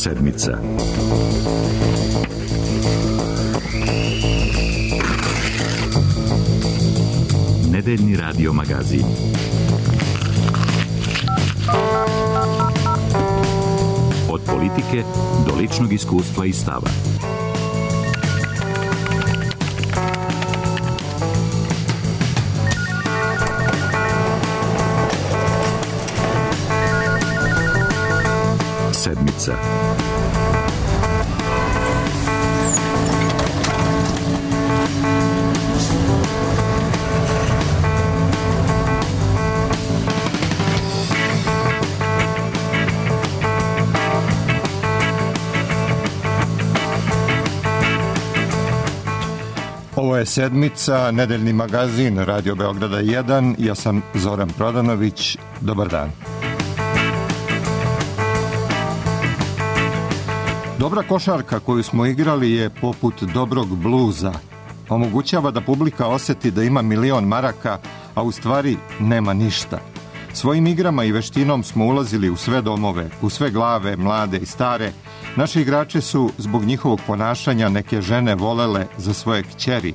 Sedmica. Nedeljni radio magazin. Od politike do ličnog iskustva i stava. Sedmica. Ovo je Sedmica, nedeljni magazin Radio Beograda 1. Ja sam Zoran Prodanović. Dobar dan. Dobra košarka koju smo igrali je poput dobrog bluza. Omogućava da publika osjeti da ima 1.000.000 maraka, a u stvari nema ništa. Svojim igrama i veštinom smo ulazili u sve domove, u sve glave, mlade i stare. Naši igrače su zbog njihovog ponašanja neke žene volele za svoje kćeri.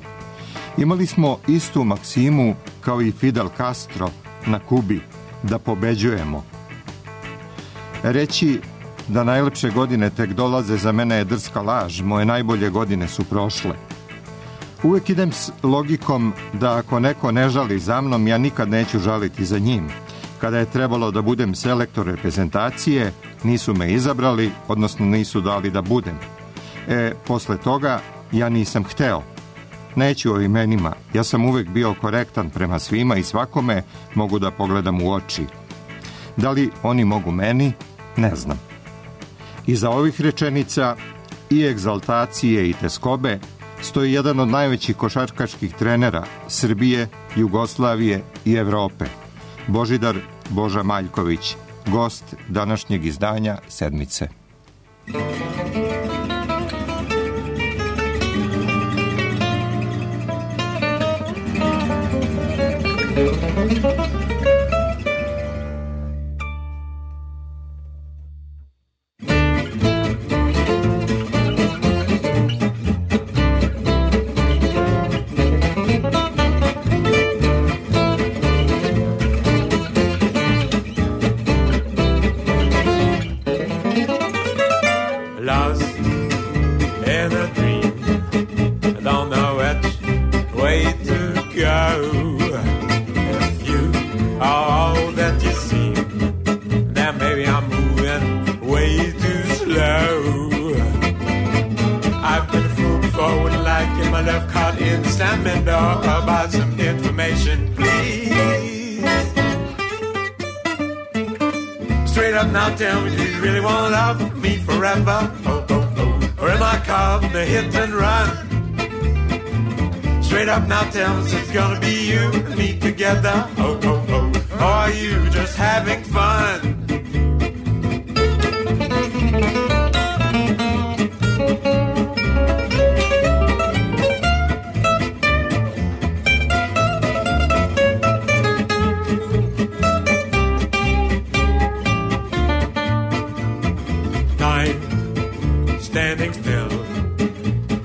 Imali smo istu maksimu kao i Fidel Castro na Kubi, da pobeđujemo. Reći da najlepše godine tek dolaze za mene je drska laž, moje najbolje godine su prošle. Uvijek idem s logikom da ako neko ne žali za mnom, ja nikad neću žaliti za njim. Kada je trebalo da budem selektor reprezentacije, nisu me izabrali, odnosno nisu dali da budem. Posle toga ja nisam hteo. Neću o imenima, ja sam uvijek bio korektan prema svima i svakome mogu da pogledam u oči. Da li oni mogu meni? Ne znam. Iza ovih rečenica i egzaltacije i teskobe stoji jedan od najvećih košarkaških trenera Srbije, Jugoslavije i Evrope. Božidar Boža Maljković, gost današnjeg izdanja Sedmice. Tell me, do you really want to love me forever? Oh, oh, oh. Or am I caught in the hit and run? Straight up now, tell me, it's gonna be you and me together. Oh, oh, oh. Or are you just having fun? Standing still,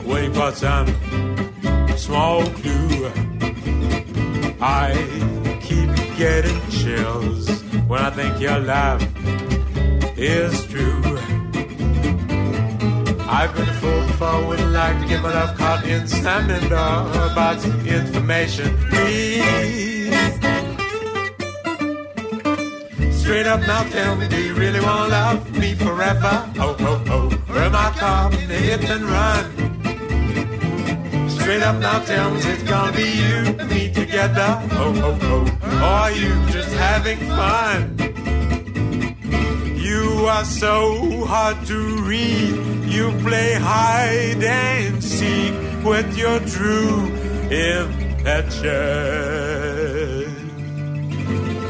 waiting for some small clue. I keep getting chills when I think your love is true. I've been a fool before, wouldn't like to get my love caught in slamming door about some information, please. Straight up now, tell me, do you really want to love me forever? Oh, oh, oh. Or am I caught in the hit and run? Straight up now, tell me, it's gonna be you and me together. Oh, oh, oh. Or are you just having fun? You are so hard to read. You play hide and seek with your true impetuous.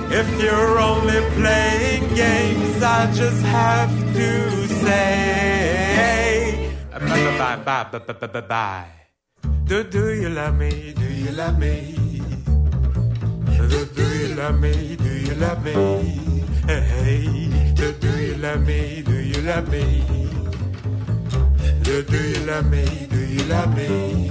If you're only playing games, I just have to say bye. Do you love me? Do you love me? Do you love me? Do you love me? Hey, do you love me? Do you love me? Do you love me? Do you love me?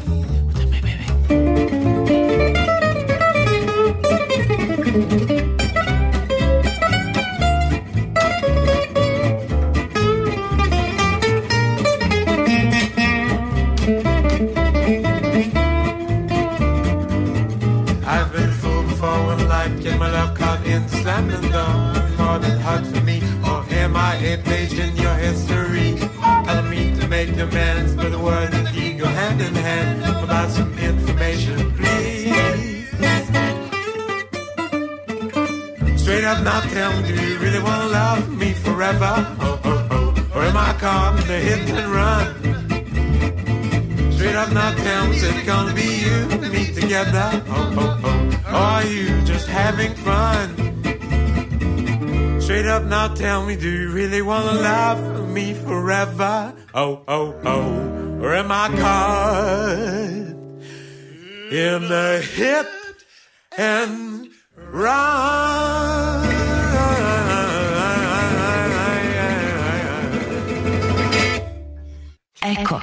I've been fooled before when life get my love caught in slamming door. More than hard for me, or am I a page in your history? I don't mean to make demands, but the word and he go hand in hand. About some information, please. Straight up now tell me, do you really want to love me forever? Oh, oh, oh. Or am I caught in the hit and run? Straight up now tell me, is it gonna be you and me together? Oh, oh, oh. Or are you just having fun? Straight up now tell me, do you really wanna love me forever? Oh, oh, oh. Or am I caught in the hit and run? Eko.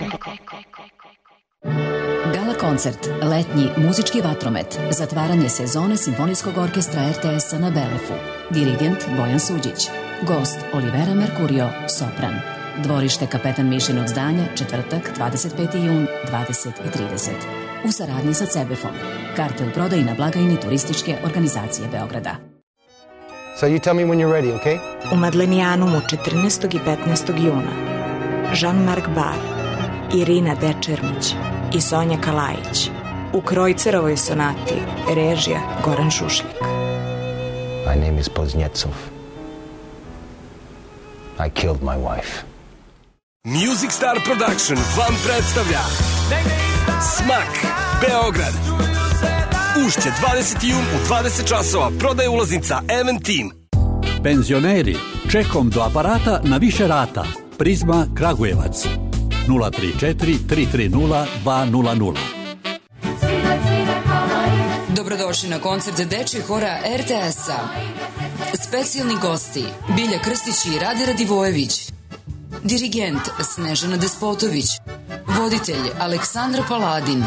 Gala koncert, letnji muzički vatromet, zatvaranje sezone Simfonijskog orkestra RTS-a na Belefu. Dirigent Bojan Suđić. Gost Olivera Mercurio, sopran. Dvorište Kapetan Mišinog zdanja, četvrtak, 25. jun, 20:30. U saradnji sa CEBEF-om. Karte u prodaji na blagajni Turističke organizacije Beograda. So you tell me when you're ready, okay? U Madlenijanumu 14. i 15. juna Jean-Marc Bar, Irina Dečermić i Sonja Kalajić. U Krojcerovoj sonati, režija Goran Šušljik. My name is Poznetsov. I killed my wife. Music Star Production vam predstavlja Smak, Beograd. Ušće 20. jun u 20 časova. Prodaje ulaznica Eventim. Penzioneri, čekom do aparata na više rata. Prizma Kragujevac 034 330 200. Dobrodošli na koncert dečjeg hora RTS-a. Specijalni gosti Bilja Krstić i Rade Radivojević. Dirigent Snežana Despotović. Voditelj Aleksandra Paladin.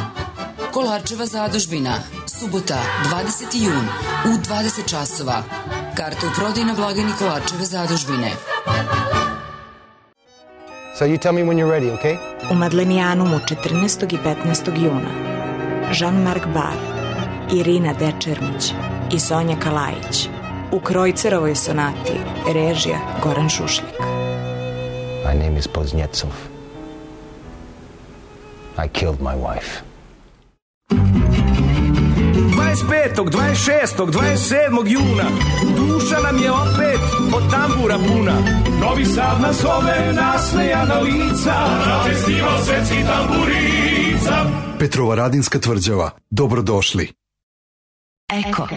Kolarčeva zadužbina. Subota 20. jun u 20 časova. Karte u prodaji na blagajni Kolarčeve zadužbine. So you tell me when you're ready, okay? U Madlenijanumu 14. i 15. juna Jean-Marc Bar, Irina Dečermić i Sonja Kalajić. U Krojcerovoj sonati, režija Goran Šušljik. My name is Poznetsov. I killed my wife. 25., 26., 27. juna duša nam je opet od tambura puna. Novi Sad nas zove, nasmejana lica, na festival svetskih tamburica. Petrovaradinska tvrđava. Dobrodošli. Eko.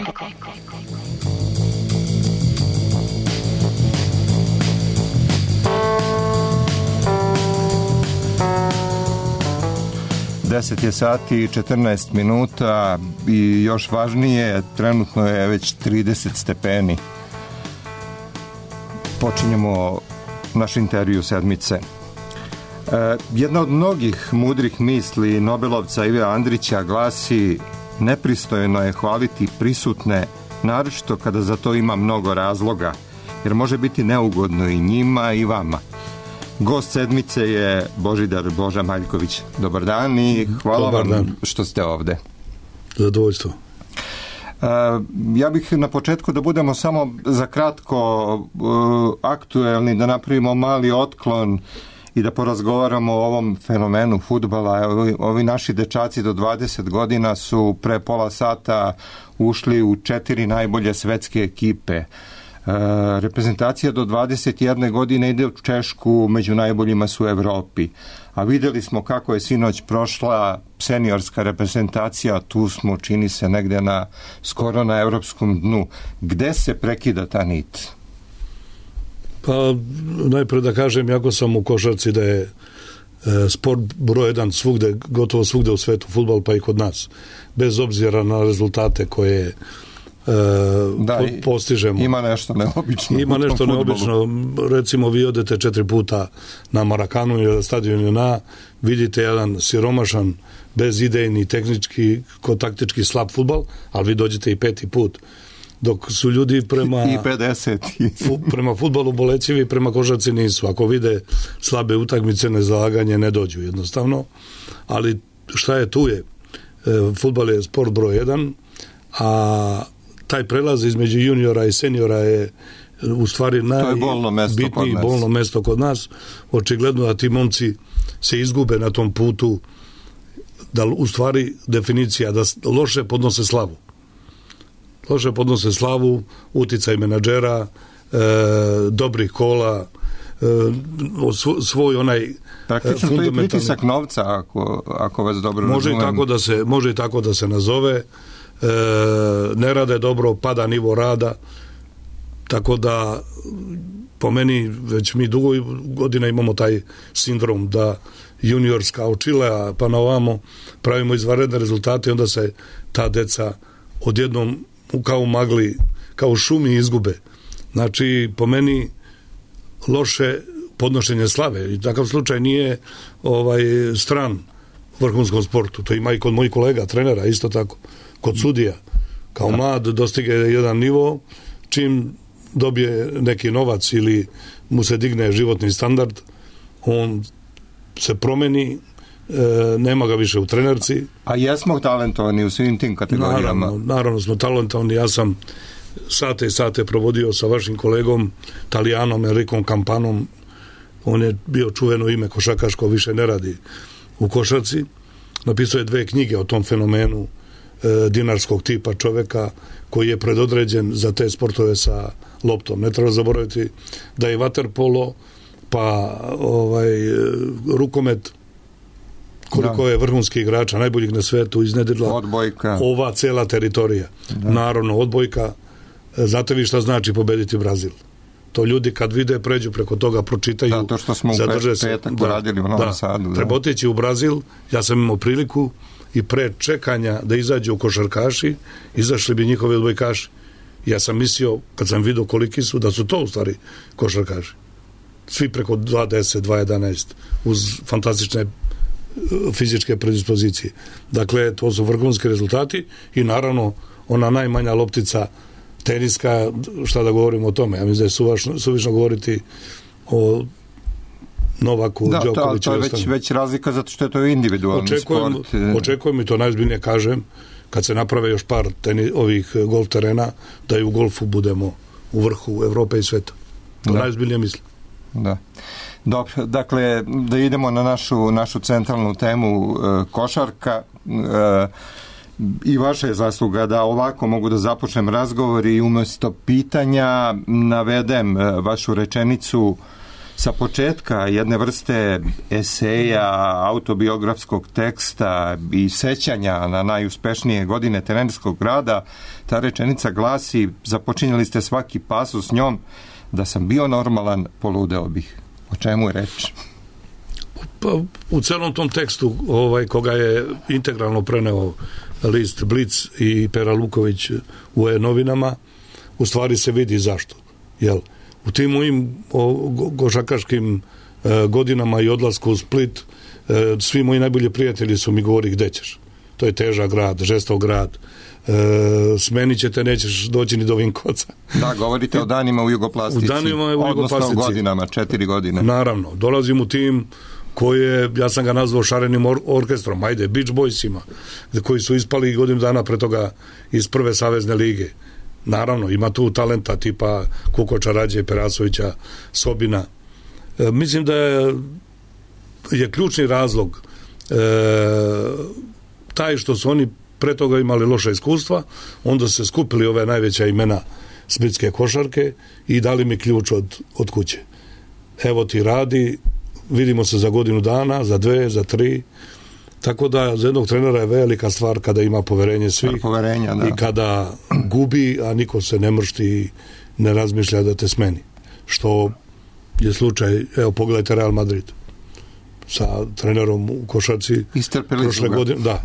Deset je sati i 14 minuta i još važnije, trenutno je već 30 stepeni. Počinjemo naš intervju sedmice. Jedna od mnogih mudrih misli Nobelovca Ive Andrića glasi: nepristojno je hvaliti prisutne, naročito kada za to ima mnogo razloga, jer može biti neugodno i njima i vama. Gost sedmice je Božidar Boža Maljković. Dobar dan i hvala vam što ste ovde. Zadovoljstvo. Ja bih na početku da budemo samo za kratko aktuelni, da napravimo mali otklon i da porazgovaramo o ovom fenomenu fudbala. Ovi naši dečaci do 20 godina su pre pola sata ušli u 4 najbolje svetske ekipe. Reprezentacija do 21 godine ide u Češku, među najboljima su u Evropi. A videli smo kako je sinoć prošla seniorska reprezentacija, tu smo, čini se, negde skoro na evropskom dnu. Gde se prekida ta nit? Pa najpre da kažem, jako sam u košarci da je sport broj jedan svugde, gotovo svugde u svetu, fudbal pa i kod nas. Bez obzira na rezultate koje postižemo. Ima nešto neobično. Ima nešto neobično. Recimo, vi odete 4 puta na Marakanu ili stadion vidite jedan siromašan, bezidejni, tehnički, taktički slab fudbal, ali vi dođete i 5. put. Dok su ljudi prema i 50 prema fudbalu bolećivi, prema košarci nisu. Ako vide slabe utakmice, nezalaganje, ne dođu jednostavno. Ali šta je tu je? Fudbal je sport broj 1, a taj prelaz između juniora i seniora je u stvari najbitniji bolno mesto kod nas. Očigledno da ti momci se izgube na tom putu, da u stvari definicija da loše podnose slavu. Loše podnose slavu, uticaj menadžera, dobrih kola, svoj onaj praktično to je pritisak novca, ako vas dobro razumijem. Može i tako da se nazove. Ne rade dobro, pada nivo rada, tako da po meni već mi dugo godina imamo taj sindrom da juniorska od Čilea pa na ovamo pravimo izvanredne rezultate i onda se ta deca odjednom kao magli, kao šumi izgube. Znači, po meni loše podnošenje slave i takav slučaj nije stran vrhunskom sportu. To ima i kod mojih kolega, trenera, isto tako. Kod sudija. Kao mlad dostigne jedan nivo, čim dobije neki novac ili mu se digne životni standard, on se promeni, nema ga više u trenerci. A jesmo talentovani u svim tim kategorijama? Naravno smo talentovani. Ja sam sate i sate provodio sa vašim kolegom Talijanom Enricom Campanom. On je bio čuveno ime košarkaško, više ne radi u košarci. Napisao je 2 knjige o tom fenomenu dinarskog tipa čoveka koji je predodređen za te sportove sa loptom. Ne treba zaboraviti da je vaterpolo pa rukomet, koliko je vrhunskih igrača, najboljih na svetu, iznedrila odbojka. Ova cela teritorija. Naravno, odbojka. Znate vi šta znači pobediti Brazil? To ljudi kad vide, pređu preko toga, pročitaju, to što smo zadrže se. Radili u Novom Sadu. Treba otići u Brazil. Ja sam imao priliku i pre čekanja da izađu košarkaši, izašli bi njihovi odbojkaši. Ja sam mislio, kad sam vidio koliki su, da su to u stvari košarkaši. Svi preko 2.10, 2.11, uz fantastične fizičke predispozicije. Dakle, to su vrhunski rezultati i naravno ona najmanja loptica teniska, šta da govorimo o tome. Ja mislim da je suvišno govoriti o Novaku, Đokoviću. To je već razlika zato što je to individualni sport. Očekujem i to najzbiljnije kažem, kad se naprave još par ovih golf terena, da i u golfu budemo u vrhu Evrope i sveta. To najzbiljnije mislim. Da. Dobro, dakle, da idemo na našu centralnu temu košarka. I vaša je zasluga da ovako mogu da započnem razgovor i umjesto pitanja navedem vašu rečenicu sa početka jedne vrste eseja, autobiografskog teksta i sećanja na najuspešnije godine trenerskog rada. Ta rečenica glasi, započinjali ste svaki pasus s njom, da sam bio normalan, poludeo bih. O čemu je reč? Pa, u celom tom tekstu koga je integralno preneo list Blic i Pera Luković u novinama, u stvari se vidi zašto. U tim mojim košarkaškim godinama i odlasku u Split, svi moji najbolji prijatelji su mi govorili gde ćeš. To je težak grad, žestok grad. Smenit ćete, nećeš doći ni do Vinkovaca. Da, govorite o danima u Jugoplastici. Odnosno godinama, 4 godine. Naravno, dolazim u tim koje, ja sam ga nazvao šarenim orkestrom, ajde, Beach Boysima, koji su ispali godinu dana pre toga iz prve savezne lige. Naravno, ima tu talenta tipa Kukoča, Rađe, Perasovića, Sobina. Mislim da je ključni razlog taj što su oni pre toga imali loša iskustva, onda se skupili ove najveća imena splitske košarke i dali mi ključ od kuće. Evo ti radi, vidimo se za godinu dana, za 2, za 3. Tako da za jednog trenera je velika stvar kada ima poverenje svih i kada gubi, a niko se ne mršti i ne razmišlja da te smeni. Što je slučaj, evo pogledajte Real Madrid sa trenerom u košarci prošle godine. Da.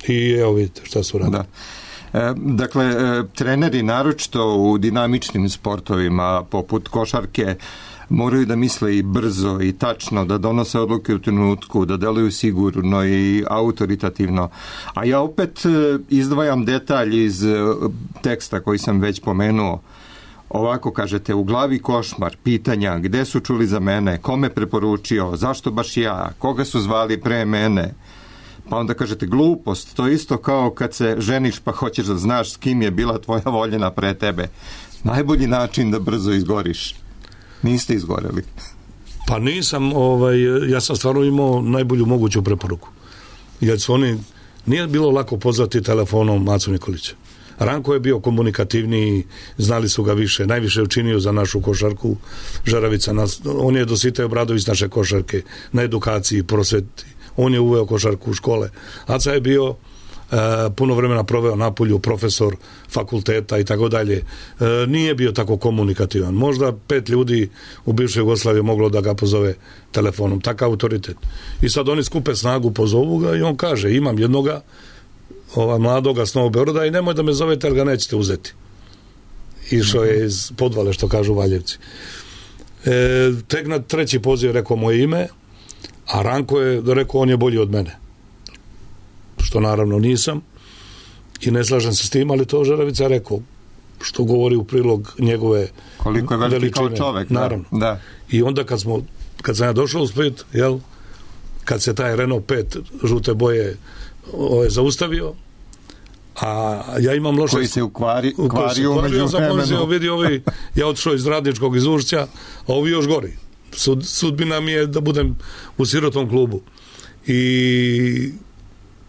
I evo vidite šta su radili. Dakle, treneri naročito u dinamičnim sportovima poput košarke moraju da misle i brzo i tačno, da donose odluke u trenutku, da deluju sigurno i autoritativno. A ja opet izdvajam detalj iz teksta koji sam već pomenuo. Ovako kažete, u glavi košmar, pitanja, gde su čuli za mene, kome preporučio, zašto baš ja, koga su zvali pre mene. Pa onda kažete, glupost, to isto kao kad se ženiš pa hoćeš da znaš s kim je bila tvoja voljena pre tebe. Najbolji način da brzo izgoriš. Niste izgoreli. Pa nisam, ja sam stvarno imao najbolju moguću preporuku. Jer su oni, nije bilo lako pozvati telefonom Macu Nikolića. Ranko je bio komunikativniji, znali su ga više, najviše učinio za našu košarku. Žeravica, on je Dositej Obradović naše košarke, na edukaciji, prosveti. On je uveo košarku u škole. Aca je bio puno vremena proveo napolju, profesor fakulteta i tako dalje. Nije bio tako komunikativan. Možda 5 ljudi u bivšoj Jugoslaviji moglo da ga pozove telefonom. Takav autoritet. I sad oni skupe snagu, pozovu ga i on kaže, imam jednoga mladoga s Novog Beograda i nemoj da me zovete jer ga nećete uzeti. Išao je iz Podvale, što kažu Valjevci. Tek na treći poziv rekao moje ime, a Ranko je rekao on je bolji od mene. Što naravno nisam i ne slažem se s tim, ali to Žeravica rekao, što govori u prilog njegove koliko je veliki kao čovek. Naravno. Da. I onda kad sam ja došao u Split, kad se taj Renault 5 žute boje zaustavio, a ja imam loše... Koji se ukvario umeđu vremenu. Ja otišao iz Radničkog iz Ušća, a ovi još gori. Sudbina mi je da budem u sirotom klubu.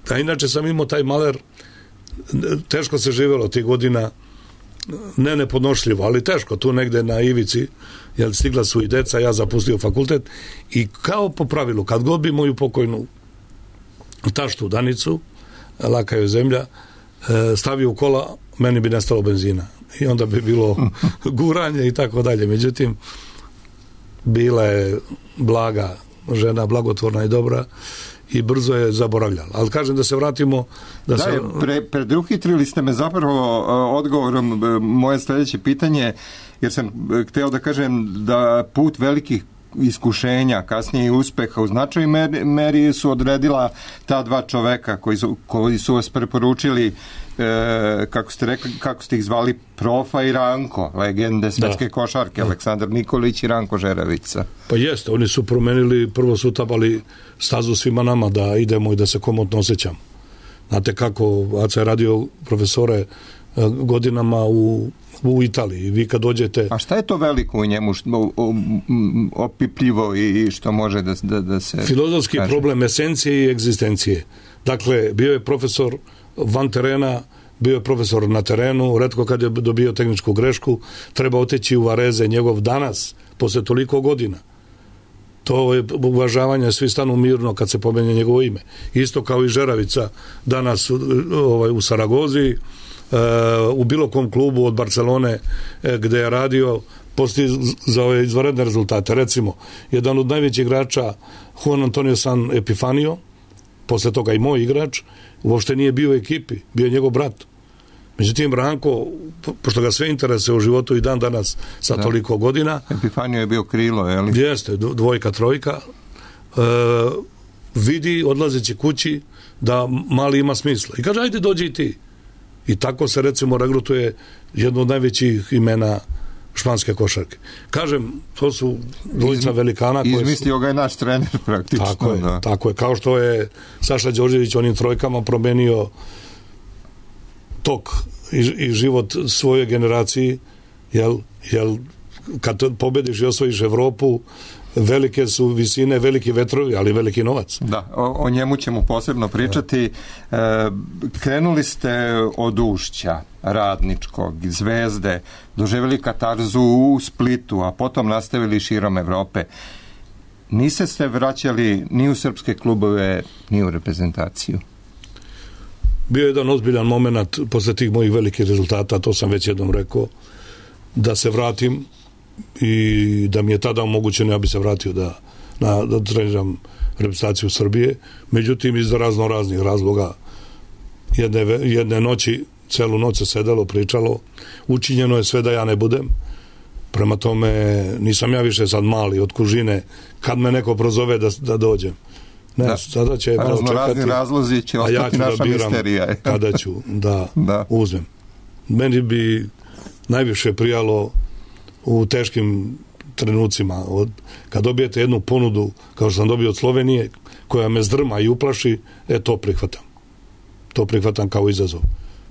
A inače sam imao taj maler, teško se živjelo tih godina, ne nepodnošljivo, ali teško, tu negde na ivici, jer stigla su i deca, ja zapustio fakultet i kao po pravilu, kad god bi moju pokojnu taštu Danicu, laka je zemlja, stavio u kola, meni bi nestalo benzina i onda bi bilo guranje i tako dalje. Međutim, bila je blaga žena, blagotvorna i dobra i brzo je zaboravljala. Ali kažem da se vratimo... Predruhitrili ste me zapravo odgovorom moje sljedeće pitanje, jer sam hteo da kažem da put velikih iskušenja, kasnije i uspeha u značaj meri su odredila ta dva čoveka koji su vas preporučili, kako ste ih zvali, Profa i Ranko, legende svetske košarke, Aleksandar Nikolić i Ranko Žeravica. Pa jeste, oni su promenili, prvo su utabali stazu svima nama da idemo i da se komotno osjećamo. Znate kako, Aca je radio profesore godinama u Italiji. Vi kad dođete... A šta je to veliko u njemu, opipljivo i što može da se... Filozofski problem esencije i egzistencije. Dakle, bio je profesor van terena, bio je profesor na terenu, retko kad je dobio tehničku grešku, treba otići u Vareze, njegov danas, posle toliko godina. To je uvažavanje, svi stanu mirno kad se pomenje njegovo ime. Isto kao i Žeravica danas u Saragozi, u bilo kom klubu od Barcelone gde je radio, za ove izvanredne rezultate. Recimo, jedan od najvećih igrača, Juan Antonio San Epifanio, posle toga i moj igrač, uopšte nije bio u ekipi, bio je njegov brat. Međutim, Ranko, pošto ga sve interese u životu i dan danas sa toliko godina... Epifanio je bio krilo, je li? Jeste, dvojka, trojka. Vidi, odlazeći kući, da mali ima smisla. I kaže, ajde, dođi i ti. I tako se, recimo, regrutuje jedno od najvećih imena španske košarke. Kažem, to su dvojica velikana koje izmislio ga je naš trener praktično. Tako je. Kao što je Saša Đorđević onim trojkama promenio tok i život svojoj generaciji, jel kad pobediš i osvojiš Evropu, velike su visine, veliki vetrovi, ali veliki novac. Da, o njemu ćemo posebno pričati. Krenuli ste od Ušća, Radničkog, Zvezde, doživjeli katarzu u Splitu, a potom nastavili širom Evrope. Niste se vraćali ni u srpske klubove, ni u reprezentaciju? Bio je jedan ozbiljan moment posle tih mojih velikih rezultata, to sam već jednom rekao, da se vratim i da mi je tada omogućeno, ja bi se vratio da treniram reprezentaciju Srbije. Međutim, iz raznih razloga jedne noći celu noć se sedelo, pričalo, učinjeno je sve da ja ne budem. Prema tome, nisam ja više sad mali od kužine, kad me neko prozove da dođem. Ne, da. Sada će malo čekati, razlozi će ostati naša misterija. Kada ću da uzmem. Meni bi najviše prijalo u teškim trenucima, kad dobijete jednu ponudu, kao što sam dobio od Slovenije, koja me zdrma i uplaši, to prihvatam. To prihvatam kao izazov.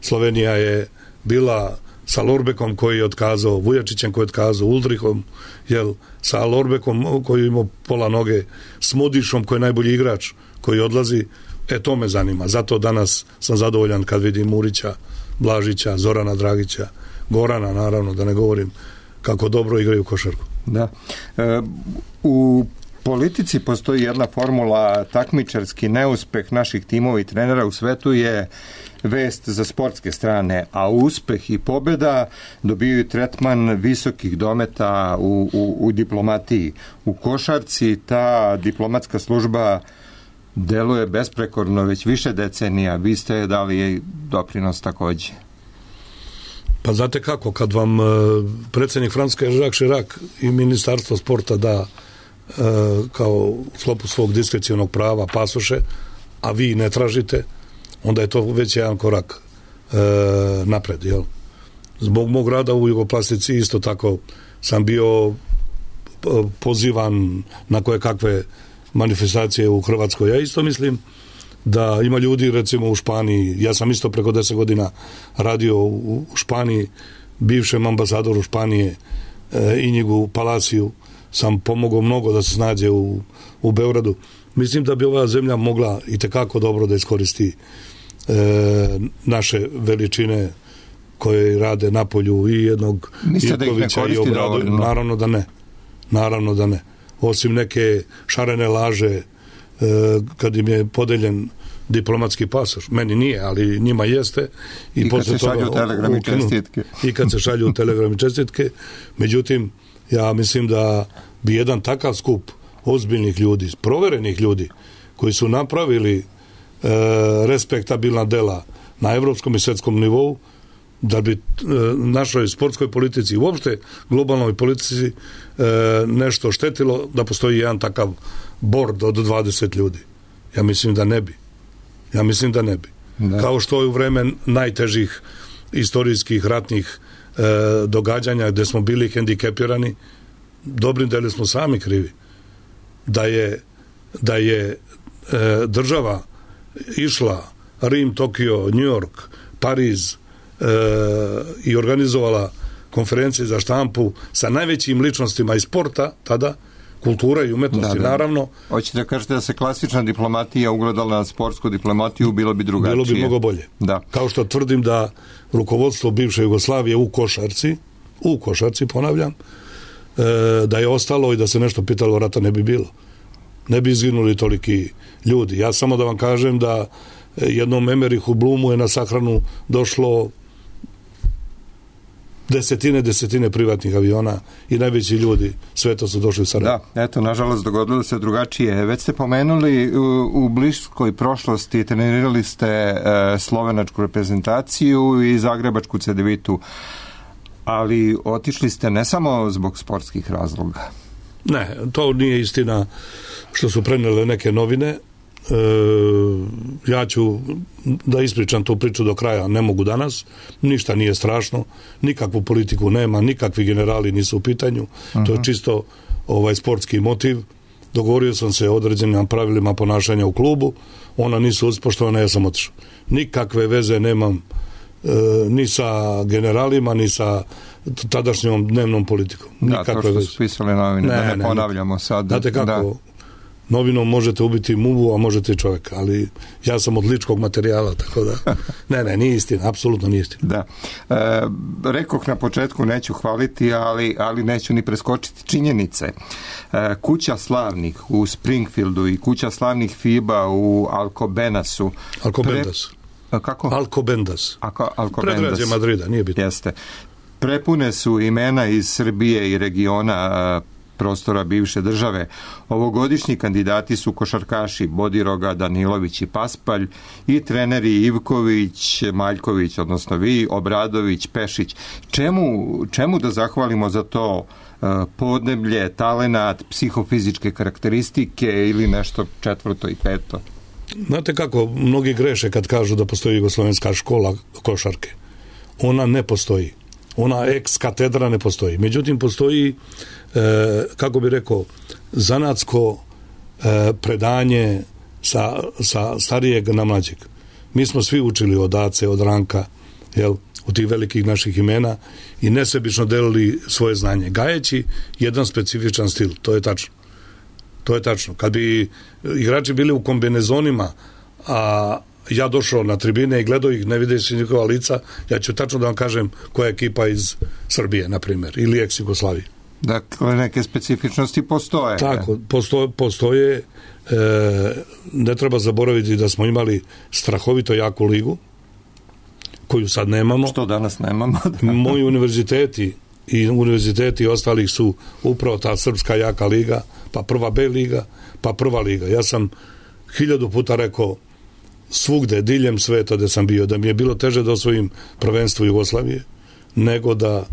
Slovenija je bila sa Lorbekom koji je otkazao, Vujačićem koji je otkazao, Uldrihom, sa Lorbekom koji je imao pola noge, s Modišom koji je najbolji igrač koji odlazi, to me zanima. Zato danas sam zadovoljan kad vidim Murića, Blažića, Zorana Dragića, Gorana, naravno, da ne govorim kako dobro igraju košarku. Da. U politici postoji jedna formula, takmičarski neuspeh naših timova i trenera u svetu je vest za sportske strane, a uspeh i pobjeda dobijaju tretman visokih dometa u diplomatiji. U košarci ta diplomatska služba deluje besprekorno već više decenija. Vi ste dali doprinos takođe. Pa znate kako, kad vam predsjednik Francuske Jacques Chirac i ministarstvo sporta da kao u sklopu svog diskrecionog prava pasoše, a vi ne tražite, onda je to već jedan korak napred, jel? Zbog mog rada u Jugoplastici isto tako sam bio pozivan na koje kakve manifestacije u Hrvatskoj. Ja isto mislim da ima ljudi, recimo u Španiji, ja sam isto preko 10 godina radio u Španiji, bivšem ambasadoru Španije Inigu Palaciju sam pomogao mnogo da se snađe u Beogradu. Mislim da bi ova zemlja mogla i tekako dobro da iskoristi naše veličine koje rade na polju i jednog Ivkovića i Obradu. Naravno da ne. Osim neke šarene laže kad im je podeljen diplomatski pasoš. Meni nije, ali njima jeste. I kad se šalju telegrami čestitke. I kad se šalju telegrami čestitke. Međutim, ja mislim da bi jedan takav skup ozbiljnih ljudi, proverenih ljudi, koji su napravili respektabilna dela na evropskom i svetskom nivou, da bi našoj sportskoj politici, uopšte globalnoj politici nešto štetilo da postoji jedan takav bord od 20 ljudi. Ja mislim da ne bi. Da. Kao što je u vreme najtežih istorijskih ratnih događanja gde smo bili hendikepirani, dobrim delom smo sami krivi. Da je država išla Rim, Tokio, New York, Pariz i organizovala konferencije za štampu sa najvećim ličnostima iz sporta, tada, kultura i umetnosti, naravno. Hoćete da kažete da se klasična diplomatija ugledala na sportsku diplomatiju, bilo bi drugačije. Bilo bi mnogo bolje. Da. Kao što tvrdim da rukovodstvo bivše Jugoslavije u košarci, ponavljam, da je ostalo i da se nešto pitalo, rata ne bi bilo. Ne bi izginuli toliki ljudi. Ja samo da vam kažem da jednom Emerihu Blumu je na sahranu došlo desetine privatnih aviona i najveći ljudi sveta su došli u Sarajevo. Da, eto, nažalost dogodilo se drugačije. Već ste pomenuli u bliskoj prošlosti trenirali ste slovenačku reprezentaciju i zagrebačku Cedevitu, ali otišli ste ne samo zbog sportskih razloga. Ne, to nije istina što su prenele neke novine. Ja ću da ispričam tu priču do kraja, ne mogu danas, ništa nije strašno, nikakvu politiku nema, nikakvi generali nisu u pitanju, to je čisto sportski motiv. Dogovorio sam se o određenim pravilima ponašanja u klubu, ona nisu uspoštovana, ja sam otišao. Nikakve veze nemam ni sa generalima, ni sa tadašnjom dnevnom politikom. Da, to što su pisali novine, da ne ponavljamo sad. Znate kako, novinom možete ubiti muvu, a možete i čovjeka, ali ja sam od ličkog materijala, tako da ne, nije istina, apsolutno nije istina. Da. Rekoh na početku, neću hvaliti, ali neću ni preskočiti činjenice. Kuća slavnih u Springfieldu i kuća slavnih FIBA u Alcobenasu. Kako? Alcobendas. Predgrađe Madrida, nije bitno. Jeste. Prepune su imena iz Srbije i regiona. prostora bivše države. Ovogodišnji kandidati su košarkaši Bodiroga, Danilović i Paspalj i treneri Ivković, Maljković, odnosno vi, Obradović, Pešić. Čemu da zahvalimo za to podneblje, talenat, psihofizičke karakteristike ili nešto četvrto i peto? Znate kako, mnogi greše kad kažu da postoji jugoslovenska škola košarke. Ona ne postoji. Ona ex katedra ne postoji. Međutim, postoji, kako bi rekao, zanatsko predanje sa starijeg na mlađeg. Mi smo svi učili od Ace, od Ranka, od tih velikih naših imena i nesebično delili svoje znanje, gajeći jedan specifičan stil. To je tačno. To je tačno. Kad bi igrači bili u kombinezonima, a ja došao na tribine i gledao ih, ne videći njihova lica, ja ću tačno da vam kažem koja je ekipa iz Srbije, na primjer, ili ex-Jugoslavije. Dakle, neke specifičnosti postoje. Tako, postoje. Ne treba zaboraviti da smo imali strahovito jaku ligu, koju sad nemamo. Što danas nemamo. Moji univerziteti ostalih su upravo ta srpska jaka liga, pa prva B liga, pa prva liga. Ja sam 1000 puta rekao svugde, diljem sveta gde sam bio, da mi je bilo teže da osvojim prvenstvo Jugoslavije, nego da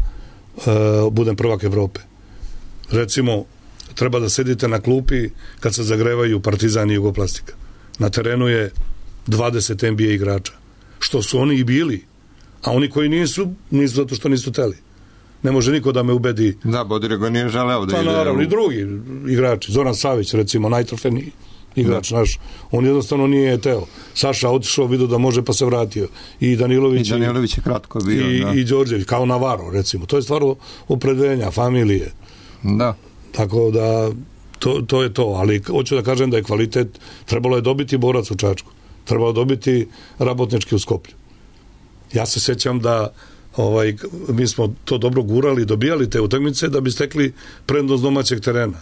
budem prvak Evrope. Recimo, treba da sedite na klupi kad se zagrevaju Partizan i Jugoplastika. Na terenu je 20 NBA igrača. Što su oni i bili, a oni koji nisu zato što nisu teli. Ne može niko da me ubedi. Da, Bodirego nije želeo da ide. Naravno, i drugi igrači. Zoran Savić, recimo, najtrofejniji igrač naš. On jednostavno nije teo. Saša otišao, vidio da može, pa se vratio. I Danilović je kratko bio. I Đorđević, kao Navarro, recimo. To je stvar opredeljenja, familije. Da. Tako da, to je to. Ali hoću da kažem da je kvalitet, trebalo je dobiti Borac u Čačku. Trebalo dobiti Rabotnički u Skoplju. Ja se sjećam da mi smo to dobro gurali, dobijali te utakmice da bi stekli prednost domaćeg terena.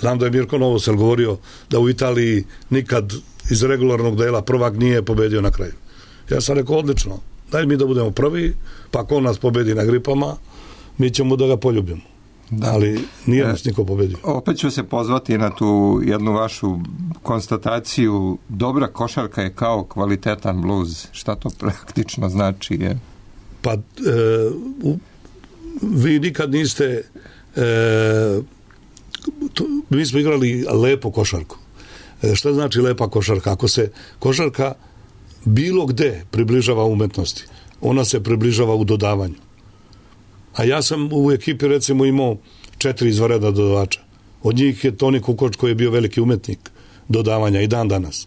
Znam da je Mirko Novosel govorio da u Italiji nikad iz regularnog dela prvak nije pobedio na kraju. Ja sam rekao, odlično, daj mi da budemo prvi, pa ako nas pobedi na gripama, mi ćemo da ga poljubimo. Da. Ali nije nas niko pobedio. Opet ću se pozvati na tu jednu vašu konstataciju. Dobra košarka je kao kvalitetan bluz. Šta to praktično znači? Pa vi nikad niste mi smo igrali lepo košarku. Šta znači lepa košarka? Ako se košarka bilo gde približava umetnosti, ona se približava u dodavanju. A ja sam u ekipi recimo imao 4 izvanredna dodavača. Od njih je Toni Kukoč koji je bio veliki umetnik dodavanja i dan danas.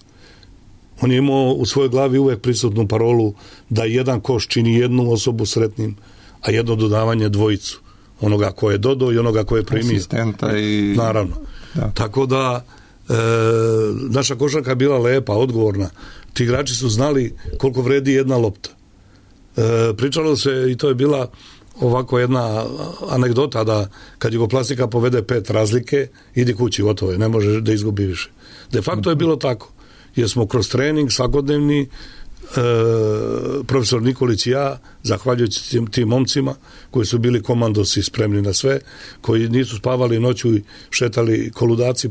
On je imao u svojoj glavi uvek prisutnu parolu da jedan koš čini jednu osobu sretnim, a jedno dodavanje dvojicu. Onoga ko je dodao i onoga ko je primio. Asistenta i... Naravno. Da. Tako da naša košarka je bila lepa, odgovorna. Ti igrači su znali koliko vredi jedna lopta. Pričalo se, i to je bila ovako jedna anegdota, da kad Jugoplastika povede 5 razlike, idi kući, gotovo je, ne može da izgubi više. De facto je bilo tako, jer smo kroz trening svakodnevni, profesor Nikolić i ja, zahvaljujući tim momcima koji su bili komandosi, spremni na sve, koji nisu spavali noću i šetali koludaci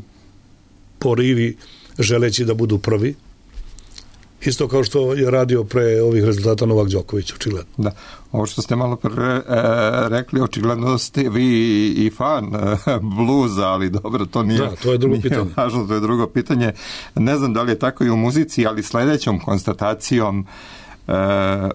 po rivi želeći da budu prvi. Isto kao što je radio pre ovih rezultata Novak Đoković, očigledno. Da, ovo što ste malo rekli, očigledno ste vi i fan bluza, ali dobro, to nije, da, to je drugo pitanje. Važno, to je drugo pitanje. Ne znam da li je tako i u muzici, ali sledećom konstatacijom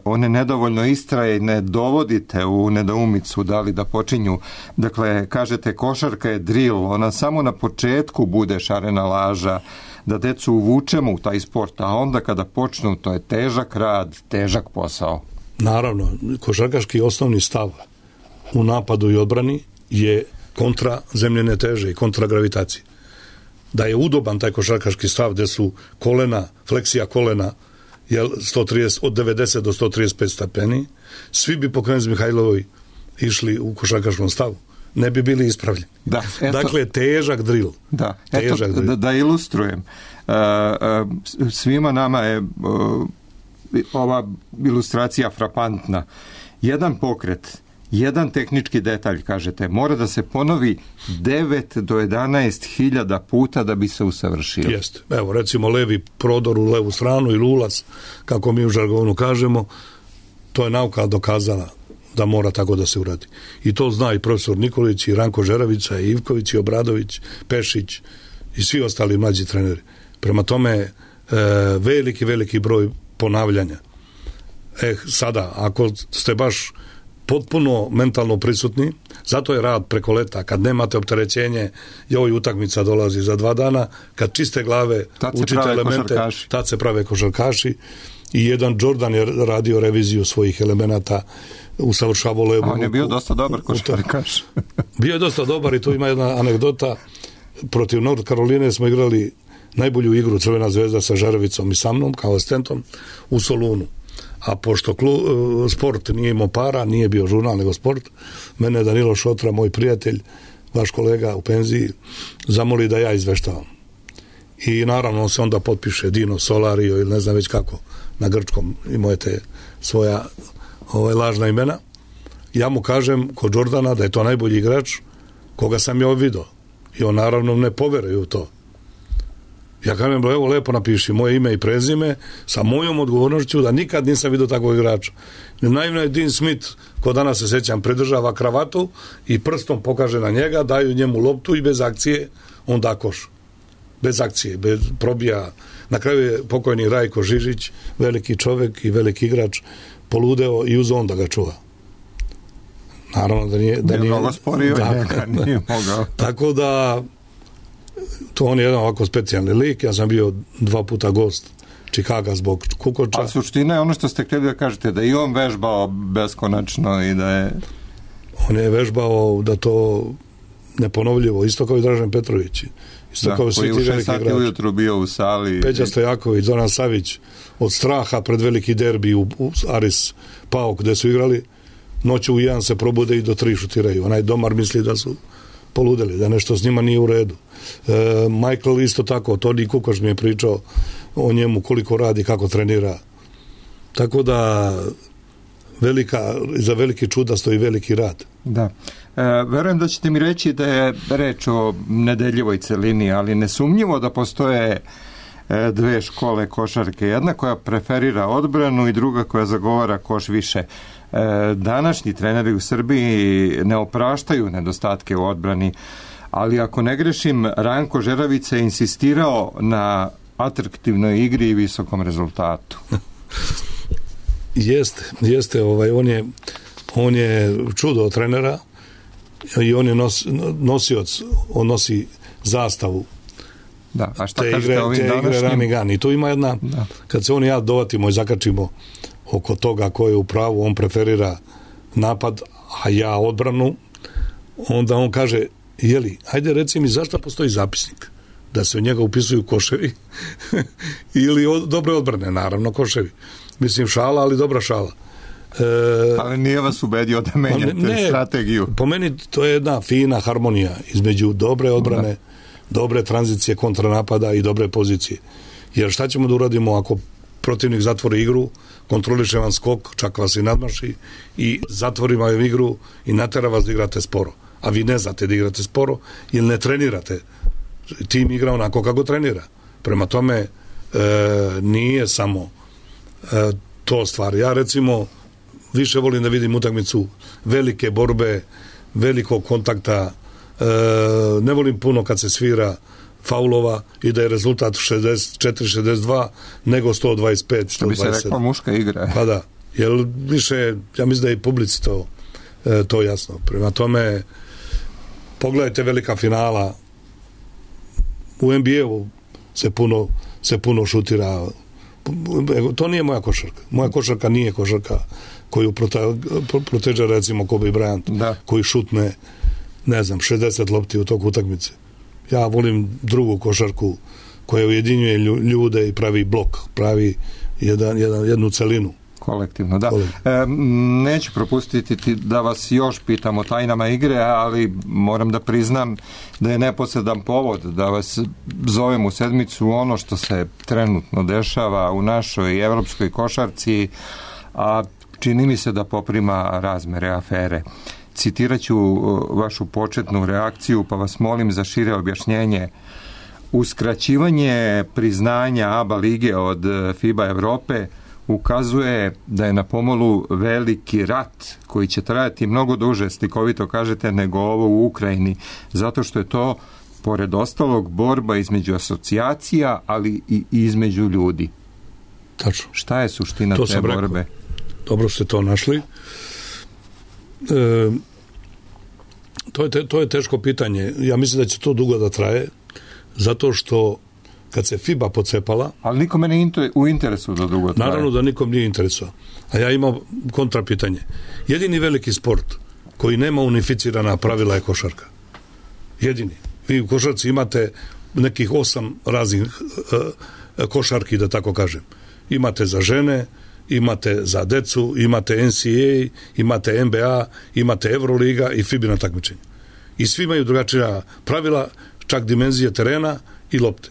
one nedovoljno istraje, ne dovodite u nedoumicu da li da počinju. Dakle, kažete košarka je drill, ona samo na početku bude šarena laža, da decu uvučemo u taj sport, a onda kada počnu, to je težak rad, težak posao. Naravno, košarkaški osnovni stav u napadu i odbrani je kontra zemljene teže i kontra gravitacije. Da je udoban taj košarkaški stav gde su kolena, fleksija kolena, od 90 do 135 stepeni, svi bi po Krenz Mihajlovoj išli u košarkaškom stavu. Ne bi bili ispravljeni. Da, dakle, težak drill. Da, da ilustrujem. Svima nama je ova ilustracija frapantna. Jedan pokret jedan tehnički detalj, kažete, mora da se ponovi 9 do 11 hiljada puta da bi se usavršio. Jeste. Evo, recimo levi prodor u levu stranu ili ulaz, kako mi u žargonu kažemo, to je nauka dokazala da mora tako da se uradi. I to zna i profesor Nikolić, i Ranko Žeravica, i Ivković, i Obradović, Pešić i svi ostali mlađi treneri. Prema tome, veliki broj ponavljanja. Sada, ako ste baš potpuno mentalno prisutni, zato je rad preko leta, kad nemate opterećenje, joj utakmica dolazi za 2 dana, kad čiste glave učite elemente, tad se prave košarkaši. I jedan Jordan je radio reviziju svojih elemenata, usavršavao levu. On je bio dosta dobar košarkaš. Bio je dosta dobar i tu ima jedna anegdota. Protiv North Caroline smo igrali najbolju igru Crvena zvezda sa Žaravicom i sa mnom kao asistentom u Solunu. A pošto sport nije imao para, nije bio žurnal nego sport, mene Danilo Šotra, moj prijatelj, vaš kolega u penziji, zamoli da ja izveštavam. I naravno on se onda potpiše Dino Solario ili ne znam već kako, na grčkom imao te svoja lažna imena. Ja mu kažem kod Jordana da je to najbolji igrač koga sam ja vidio. I on naravno ne poveruje u to. Ja kažem, evo lepo napiši moje ime i prezime sa mojom odgovornošću da nikad nisam vidio takvog igrača. Naivno je Dean Smith, ko danas se sećam, pridržava kravatu i prstom pokaže na njega, daju njemu loptu i bez akcije on da koš. Bez akcije, bez probija. Na kraju je pokojni Rajko Žižić, veliki čovek i veliki igrač, poludeo i uz on da ga čuva. Naravno da nije mnogo sporio, nije mogao. Tako da to on je jedan ovako specijalni lik. Ja sam bio 2 puta gost Čikaga zbog Kukoča. A suština je ono što ste htjeli da kažete, da i on vežbao beskonačno i da je... On je vežbao da to neponovljivo, isto kao i Dražen Petrović. Isto kao koji u 6 sati ujutru bio u sali. Peđa Stojaković, Zoran Savić, od straha pred veliki derbi u Aris Pao gde su igrali, noću u 1 se probude i do 3 šutiraju. Onaj domar misli da su poludeli, da nešto s njima nije u redu. Michael isto tako, Toni Kukoš mi je pričao o njemu koliko radi, kako trenira. Tako da za veliki čuda stoji veliki rad. Da. Verujem da ćete mi reći da je reč o nedeljivoj celini, ali nesumnjivo da postoje 2 škole košarke. Jedna koja preferira odbranu i druga koja zagovara koš više. Današnji treneri u Srbiji ne opraštaju nedostatke u odbrani, ali ako ne grešim, Ranko Žeravica je insistirao na atraktivnoj igri i visokom rezultatu. Jeste, on je čudo trenera i on je nosioc, on nosi zastavu. Da, a šta kažete ovim današnjim? I tu ima jedna, kad se on i ja dovatimo i zakačimo oko toga ko je u pravu, on preferira napad, a ja odbranu, onda on kaže, jeli, ajde reci mi zašto postoji zapisnik da se u njega upisuju koševi ili dobre odbrane, naravno koševi. Mislim šala, ali dobra šala. Ali nije vas ubedio da menjate strategiju. Po meni to je jedna fina harmonija između dobre odbrane, dobre tranzicije kontranapada i dobre pozicije. Jer šta ćemo da uradimo ako protivnik zatvori igru, kontroliše vam skok, čak vas i nadmaši i zatvori vam igru i natera vas da igrate sporo. A vi ne znate da igrate sporo ili ne trenirate. Tim igra onako kako trenira. Prema tome nije samo to stvar. Ja recimo više volim da vidim utakmicu velike borbe, velikog kontakta, ne volim puno kad se svira faulova i da je rezultat 64-62 nego 125-127. Što bi se rekla muška igra. Pa da, jer više, ja mislim da je i publici to jasno. Prema tome, pogledajte velika finala, u NBA-u se puno šutira. To nije moja košarka. Moja košarka nije košarka koju proteže recimo Kobe Bryant, koji šutne, ne znam, 60 lopti u toku utakmice. Ja volim drugu košarku koja ujedinjuje ljude i pravi blok, pravi jednu celinu. Kolektivno, da. Neću propustiti da vas još pitam o tajnama igre, ali moram da priznam da je neposredan povod da vas zovem u sedmicu ono što se trenutno dešava u našoj evropskoj košarci, a čini mi se da poprima razmere afere. Citirat ću vašu početnu reakciju, pa vas molim za šire objašnjenje. Uskraćivanje priznanja ABA lige od FIBA Evrope ukazuje da je na pomolu veliki rat koji će trajati mnogo duže, slikovito kažete, nego ovo u Ukrajini, zato što je to, pored ostalog, borba između asocijacija, ali i između ljudi. Tačno. Šta je suština te borbe? Rekao. Dobro ste to našli. To je teško pitanje. Ja mislim da će to dugo da traje, zato što kad se FIBA pocepala... Ali nikome ne u interesu da dugo traje. Naravno da nikom nije interesu. A ja imam kontrapitanje. Jedini veliki sport koji nema unificirana pravila je košarka. Jedini. Vi u košarci imate nekih 8 raznih košarki, da tako kažem. Imate za žene, imate za decu, imate NCAA, imate NBA, imate Euroliga i FIBA takmičenje. I svi imaju drugačija pravila, čak dimenzije terena i lopte.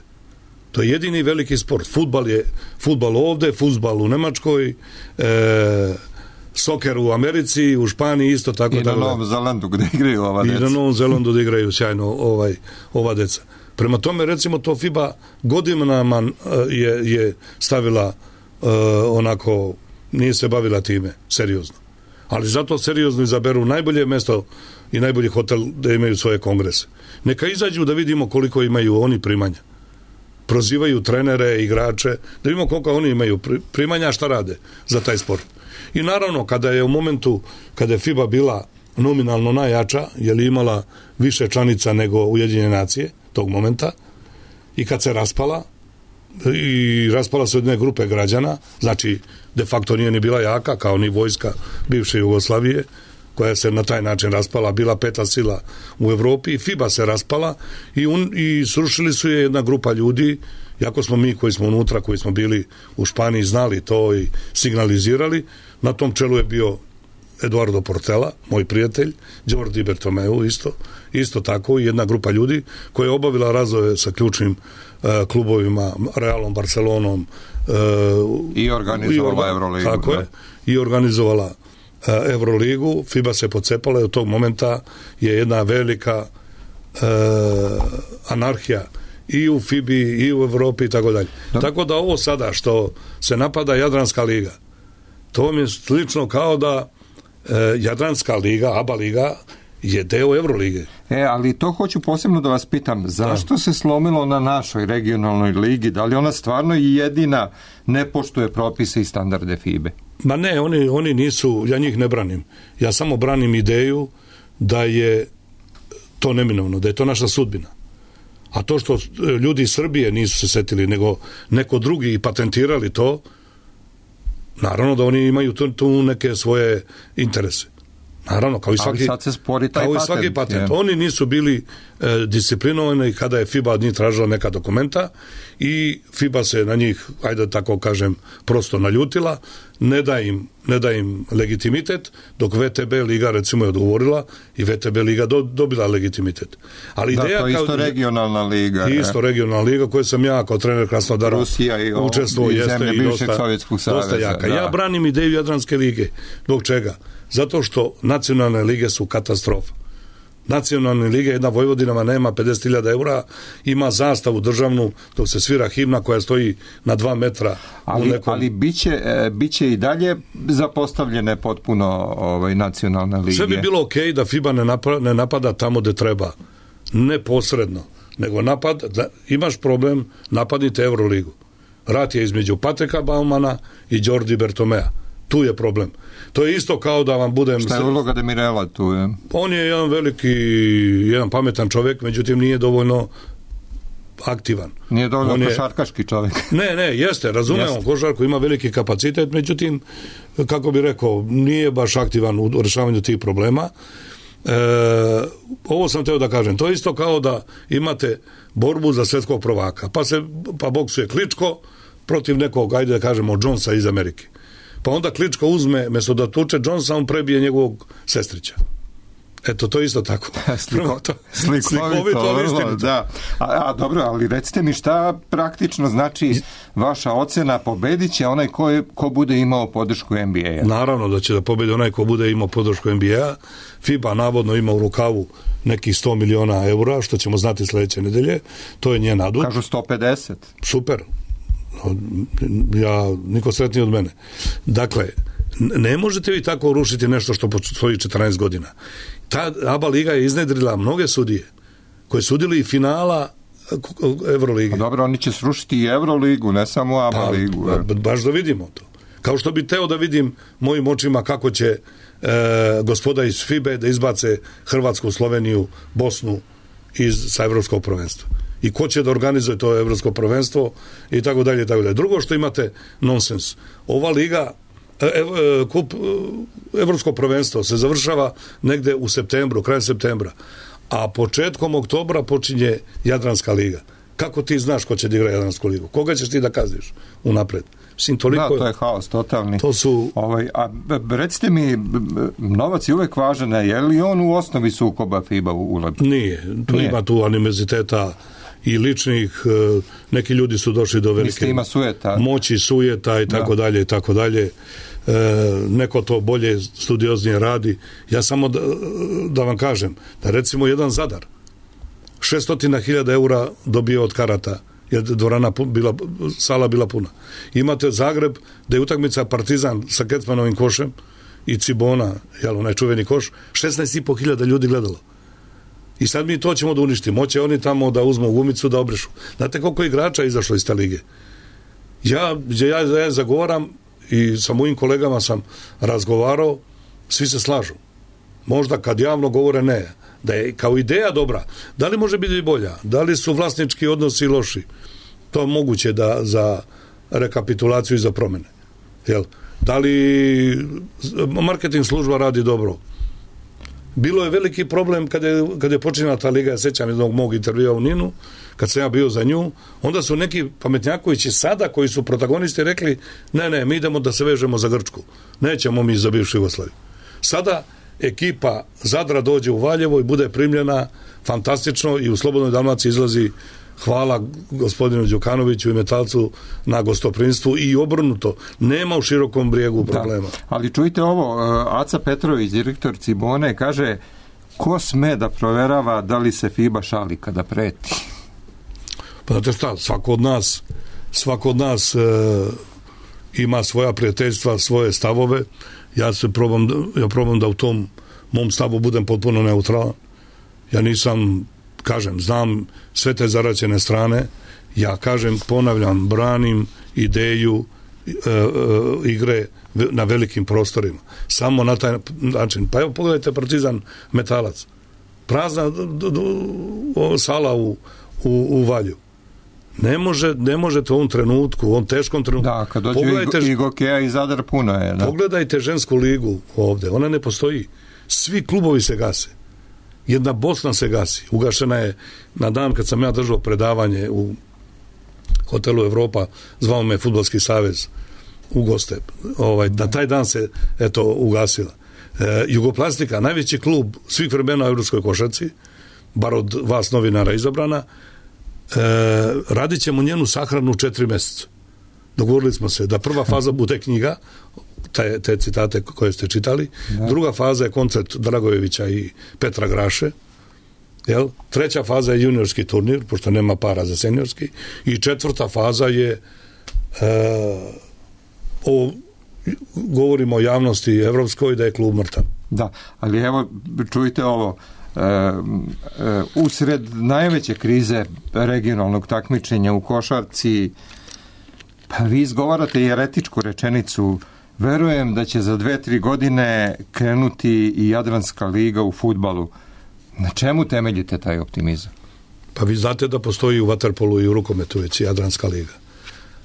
To je jedini veliki sport. Fudbal je fudbal ovde, fudbal u Nemačkoj, soker u Americi, u Španiji isto tako. I na Novom Zelandu gde igraju ova deca. I na Novom Zelandu gde igraju sjajno ova deca. Prema tome, recimo, to FIBA godinama je stavila onako, nije se bavila time seriozno. Ali zato seriozno izaberu najbolje mesto i najbolji hotel da imaju svoje kongrese. Neka izađu da vidimo koliko imaju oni primanja. Prozivaju trenere, igrače, da vidimo koliko oni imaju primanja, šta rade za taj sport. I naravno, kada je u momentu, kada je FIBA bila nominalno najjača, je li imala više članica nego Ujedinjene nacije tog momenta, i kad se raspala, i raspala se od jedne grupe građana, znači de facto nije ni bila jaka kao ni vojska bivše Jugoslavije, koja se na taj način raspala, bila peta sila u Evropi, i FIBA se raspala i srušili su je jedna grupa ljudi, jako smo mi koji smo unutra, koji smo bili u Španiji, znali to i signalizirali. Na tom čelu je bio Eduardo Portela, moj prijatelj, Jordi Bertomeu isto tako, i jedna grupa ljudi koja je obavila razove sa ključnim klubovima, Realom, Barcelonom, i organizovala Euroligu. Tako je, i organizovala Euroligu. FIBA se pocepala i od tog momenta je jedna velika anarhija i u FIBI i u Evropi i tako dalje. Tako da ovo sada što se napada Jadranska liga, to mi je slično kao da Jadranska liga, ABA liga, je deo Evrolige. Ali to hoću posebno da vas pitam, zašto se slomilo na našoj regionalnoj ligi? Da li ona stvarno jedina ne poštuje propise i standarde FIBE? Ma ne, oni nisu, ja njih ne branim. Ja samo branim ideju da je to neminovno, da je to naša sudbina. A to što ljudi iz Srbije nisu se setili, nego neko drugi i patentirali to, naravno da oni imaju tu neke svoje interese. Naravno, kao i svaki patent. Oni nisu bili disciplinovani kada je FIBA od njih tražila neka dokumenta i FIBA se na njih, ajde tako kažem, prosto naljutila, ne da im legitimitet, dok VTB liga recimo je odgovorila i VTB liga dobila legitimitet. Ali ideja, to je isto regionalna liga. Isto regionalna liga koju sam ja kao trener Krasnodara učestvovao, jeste i dosta jaka. Ja branim ideju Jadranske lige. Zbog čega? Zato što nacionalne lige su katastrofa. Nacionalne lige, jedna Vojvodinama nema 50.000 eura, ima zastavu državnu dok se svira himna koja stoji na 2 metra. Ali biće i dalje zapostavljene potpuno nacionalne lige. Sve bi bilo okej da FIBA ne napada tamo gde treba. Neposredno. Nego imaš problem, napadnite Euroligu. Rat je između Patrika Baumana i Jordi Bertomea. Tu je problem. To je isto kao da vam budem... Šta je uloga Demirela tu? On je jedan pametan čovjek, međutim nije dovoljno aktivan. Nije dovoljno košarkaški čovjek. Ne, jeste, razumijem, košarku ima veliki kapacitet, međutim, kako bi rekao, nije baš aktivan u rešavanju tih problema. Ovo sam teo da kažem, to je isto kao da imate borbu za svetskog prvaka, pa boksuje Kličko protiv nekog, ajde da kažemo, Jonesa iz Amerike. Pa onda Kličko uzme, mesto da tuče Jonesa, on prebije njegovog sestrića. Eto, to isto tako. Slikovito vrlo, da. A dobro, ali recite mi šta praktično znači vaša ocena, pobedit će onaj ko bude imao podršku NBA-a? Naravno da će da pobedi onaj ko bude imao podršku NBA-a. FIBA navodno ima u rukavu nekih 100 miliona eura, što ćemo znati sljedeće nedelje. To je njen adut. Kažu 150. Super. Niko sretniji od mene. Dakle, ne možete vi tako rušiti nešto što postoji 14 godina. Ta ABA liga je iznedrila mnoge sudije koji su sudili i finala Euroligi. Dobro, oni će srušiti i Euroligu, ne samo ABA ligu. Baš da vidimo to. Kao što bi teo da vidim mojim očima kako će gospoda iz FIBE da izbace Hrvatsku, Sloveniju, Bosnu sa evropskog prvenstva. I ko će da organizuje to evropsko prvenstvo i tako dalje i tako dalje. Drugo što imate nonsens. Ova liga kup evropsko prvenstvo se završava negde u septembru, krajem septembra, a početkom oktobra počinje Jadranska liga. Kako ti znaš ko će da igra Jadransku ligu? Koga ćeš ti da kazniš unapred? Da, to je haos totalni. To su... recite mi, novac je uvek važan, je li on u osnovi sukoba FIBA ulazi? Nije. Ima tu animoziteta i ličnih, neki ljudi su došli do velike moći, sujeta i tako dalje i tako dalje. Neko to bolje, studioznije radi. Ja samo da vam kažem, da recimo jedan Zadar 600.000 eura dobio od karata, jer dvorana sala bila puna. Imate Zagreb, da je utakmica Partizan sa Kecmanovim košem i Cibona, onaj čuveni koš, 16.500 ljudi gledalo. I sad mi to ćemo da uništimo. Moće oni tamo da uzmu gumicu da obrešu. Znate koliko igrača je izašlo iz te lige? Ja zagovaram i sa mojim kolegama sam razgovarao, svi se slažu. Možda kad javno govore ne. Da je kao ideja dobra. Da li može biti bolja? Da li su vlasnički odnosi loši? To je moguće za rekapitulaciju i za promjene. Da li marketing služba radi dobro? Bilo je veliki problem kad je počinjala ta liga, ja sećam jednog mog intervjua u Ninu, kad sam ja bio za nju, onda su neki pametnjakovići sada, koji su protagonisti, rekli ne, mi idemo da se vežemo za Grčku. Nećemo mi za bivšu Jugoslaviju. Sada ekipa Zadra dođe u Valjevo i bude primljena fantastično i u Slobodnoj Dalmaciji izlazi, hvala gospodinu Đukanoviću i Metalcu, na gostoprinstvu i obrnuto. Nema u Širokom Brijegu problema. Ali čujte ovo, Aca Petrović, direktor Cibone, kaže, ko sme da proverava da li se FIBA šali kada preti? Pa znate šta, svako od nas ima svoja prijateljstva, svoje stavove. Ja probam da u tom mom stavu budem potpuno neutralan. Ja nisam, znam sve te zaraćene strane. Ja ponavljam, branim ideju igre na velikim prostorima. Samo na taj način. Pa evo, pogledajte Partizan Metalac. Prazna sala u Valju. Ne možete u ovom trenutku, u ovom teškom trenutku. Da, kad dođe i Gokeja i Zadar puno je. Da. Pogledajte žensku ligu ovde, ona ne postoji. Svi klubovi se gase. Jedna Bosna se gasi. Ugašena je na dan kad sam ja držao predavanje u hotelu Evropa, zvao me Fudbalski savez u goste. Na taj dan se ugasila. Jugoplastika, najveći klub svih vremena u evropskoj košarci, bar od vas novinara izabrana, radit ćemo njenu sahranu 4 mjeseca. Dogovorili smo se da prva faza bude knjiga, te citate koje ste čitali, druga faza je koncert Dragojevića i Petra Graše, treća faza je juniorski turnir, pošto nema para za seniorski, i četvrta faza je govorimo o javnosti evropskoj da je klub mrtav. Da, ali evo čujte ovo, usred najveće krize regionalnog takmičenja u košarci, pa vi izgovarate i eretičku rečenicu, verujem da će za 2-3 godine krenuti i Jadranska liga u fudbalu. Na čemu temeljite taj optimizam? Pa vi znate da postoji u vaterpolu i u rukometu već Jadranska liga.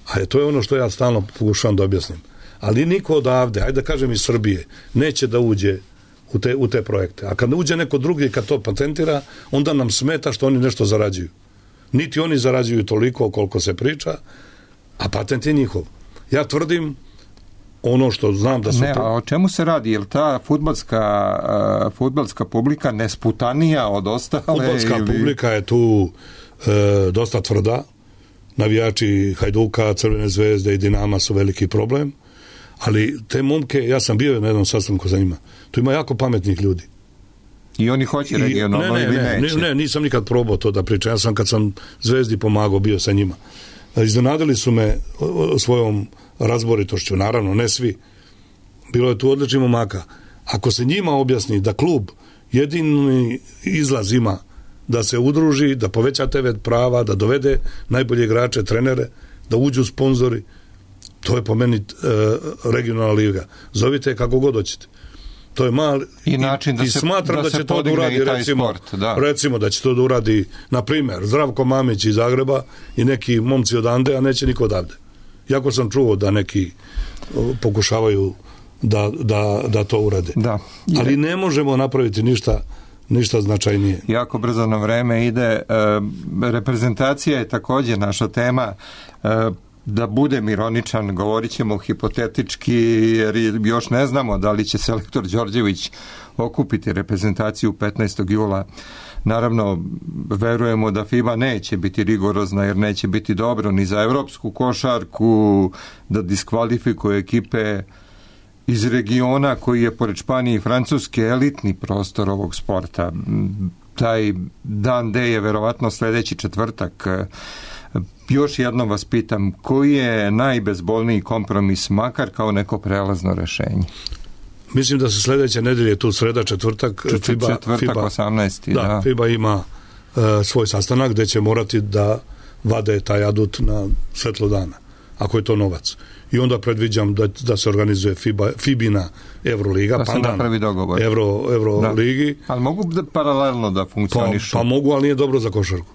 A to je ono što ja stalno pokušavam da objasnim. Ali niko odavde, ajde da kažem iz Srbije, neće da uđe u te projekte. A kad uđe neko drugi, kad to patentira, onda nam smeta što oni nešto zarađuju. Niti oni zarađuju toliko koliko se priča, a patent je njihov. Ja tvrdim ono što znam da su... Ne, a o čemu se radi? Je li ta fudbalska publika nesputanija od ostale? Fudbalska publika je tu dosta tvrda. Navijači Hajduka, Crvene zvezde i Dinama su veliki problem. Ali te momke, ja sam bio na jednom sastanku za njima, tu ima jako pametnih ljudi. I oni hoće regionalno ili neće? Ne, nisam nikad probao to da pričam. Ja sam kad sam Zvezdi pomagao, bio sa njima. Iznenadili su me svojom razboritošću, naravno, ne svi. Bilo je tu odličnih momaka. Ako se njima objasni da klub jedini izlaz ima da se udruži, da poveća TV prava, da dovede najbolje igrače, trenere, da uđu sponzori, to je po meni regionalna liga. Zovite kako god hoćete. To je mali i način da se smatram da će to da uradi recimo da će to da uradi na primjer Zdravko Mamić iz Zagreba i neki momci odande, a neće niko odavde. Jako sam čuo da neki pokušavaju da to urade. Da. Ali ne možemo napraviti ništa značajnije. Jako brzo nam vreme ide. Reprezentacija je također naša tema. Da budem ironičan, govorit ćemo hipotetički, jer još ne znamo da li će selektor Đorđević okupiti reprezentaciju 15. jula. Naravno, verujemo da FIBA neće biti rigorozna, jer neće biti dobro ni za evropsku košarku, da diskvalifikuje ekipe iz regiona koji je pored Španije i Francuske elitni prostor ovog sporta. Taj dan D je verovatno sljedeći četvrtak. Još jednom vas pitam, koji je najbezbolniji kompromis, makar kao neko prelazno rešenje? Mislim da se sljedeće nedelje, tu sreda, četvrtak, četvrtak 18. Da, FIBA ima svoj sastanak gdje će morati da vade taj adut na svetlo dana, ako je to novac. I onda predviđam da se organizuje FIBina Euroliga, da se napravi dogovor. Euroligi. Ali mogu paralelno da funkcionišu? Pa mogu, ali nije dobro za košarku.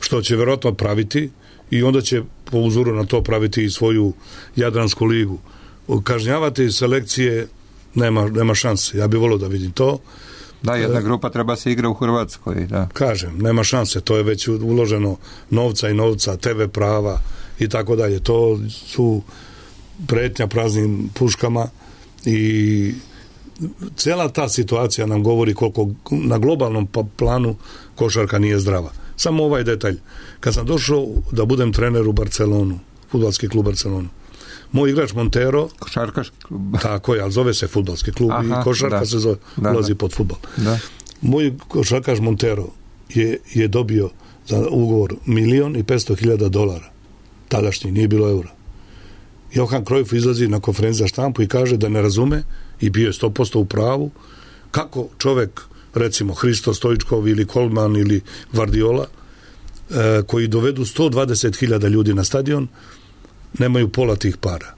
Što će vjerojatno praviti i onda će po uzoru na to praviti i svoju Jadransku ligu. Kažnjavati selekcije nema šanse. Ja bih volio da vidim to. Da, jedna grupa treba se igra u Hrvatskoj. Da. Kažem, nema šanse. To je već uloženo novca, TV prava i tako dalje. To su pretnja praznim puškama i cijela ta situacija nam govori koliko na globalnom planu košarka nije zdrava. Samo ovaj detalj. Kad sam došao da budem trener u Barcelonu, fudbalski klub Barcelonu, moj igrač Montero, košarkaški klub. Tako je, ali zove se fudbalski klub. Aha, i košarka se zove, ulazi pod fudbal. Da. Moj košarkaš Montero je dobio za ugovor $1.500.000. Tadašnji, nije bilo eura. Johan Cruyff izlazi na konferenciju za štampu i kaže da ne razume, i bio je 100% u pravu, kako čovjek, recimo Hristo Stojičkov ili Kolman ili Guardiola, koji dovedu 120.000 ljudi na stadion, nemaju pola tih para.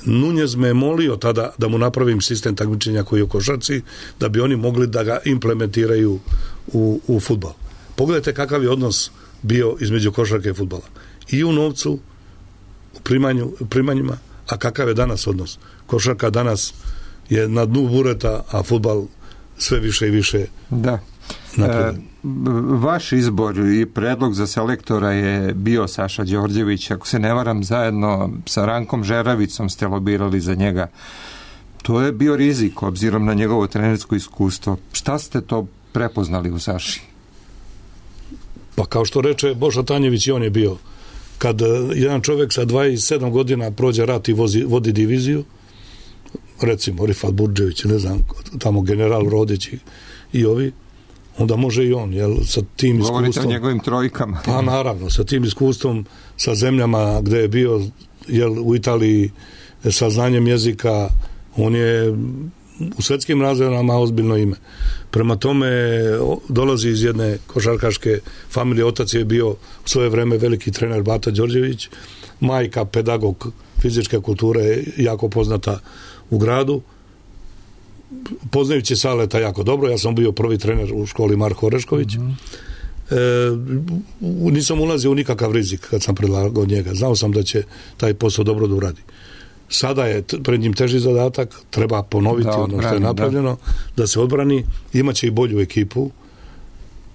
Nunez me je molio tada da mu napravim sistem takmičenja koji je u košarci, da bi oni mogli da ga implementiraju u fudbal. Pogledajte kakav je odnos bio između košarke i fudbala. I u novcu, u primanjima, a kakav je danas odnos. Košarka danas je na dnu bureta, a fudbal sve više i više. Da. Vaš izbor i predlog za selektora je bio Saša Đorđević, ako se ne varam, zajedno sa Rankom Žeravicom ste lobirali za njega. To je bio rizik obzirom na njegovo trenersko iskustvo. Šta ste to prepoznali u Saši? Pa kao što reče Bošo Tanjević, i on je bio. Kad jedan čovjek sa 27 godina prođe rat i vodi diviziju, recimo Rifat Burđević, ne znam, tamo general Rodić i ovi, onda može i on, jel, sa tim iskustvom. Govorite o njegovim trojkama. Pa naravno, sa tim iskustvom, sa zemljama gdje je bio, jel, u Italiji, sa znanjem jezika, on je u svjetskim razmjerama ozbiljno ime. Prema tome dolazi iz jedne košarkaške familije, otac je bio u svoje vrijeme veliki trener Bata Đorđević, majka pedagog fizičke kulture, jako poznata u gradu. Poznajući Saleta jako dobro, ja sam bio prvi trener u školi Marko Orešković. Nisam ulazio u nikakav rizik kad sam predlagao njega. Znao sam da će taj posao dobro da uradi. Sada je pred njim teži zadatak, treba ponoviti ono što je napravljeno, da se odbrani, imaće i bolju ekipu,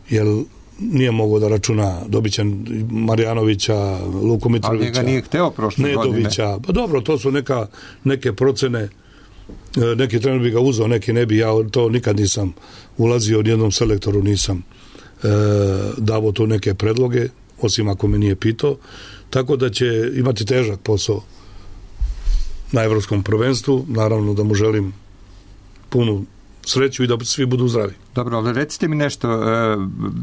jer nije mogao da računa, dobit će Marjanovića, Luku Mitrovića. Ali ga nije hteo prošle Nedovića. godine. Pa dobro, to su neke procene, neki trener bi ga uzeo, neki ne bi, ja to nikad nisam ulazio, nijednom selektoru nisam davo tu neke predloge, osim ako me nije pitao, tako da će imati težak posao na evropskom prvenstvu, naravno da mu želim punu sreću i da svi budu zdravi. Dobro, ali recite mi nešto,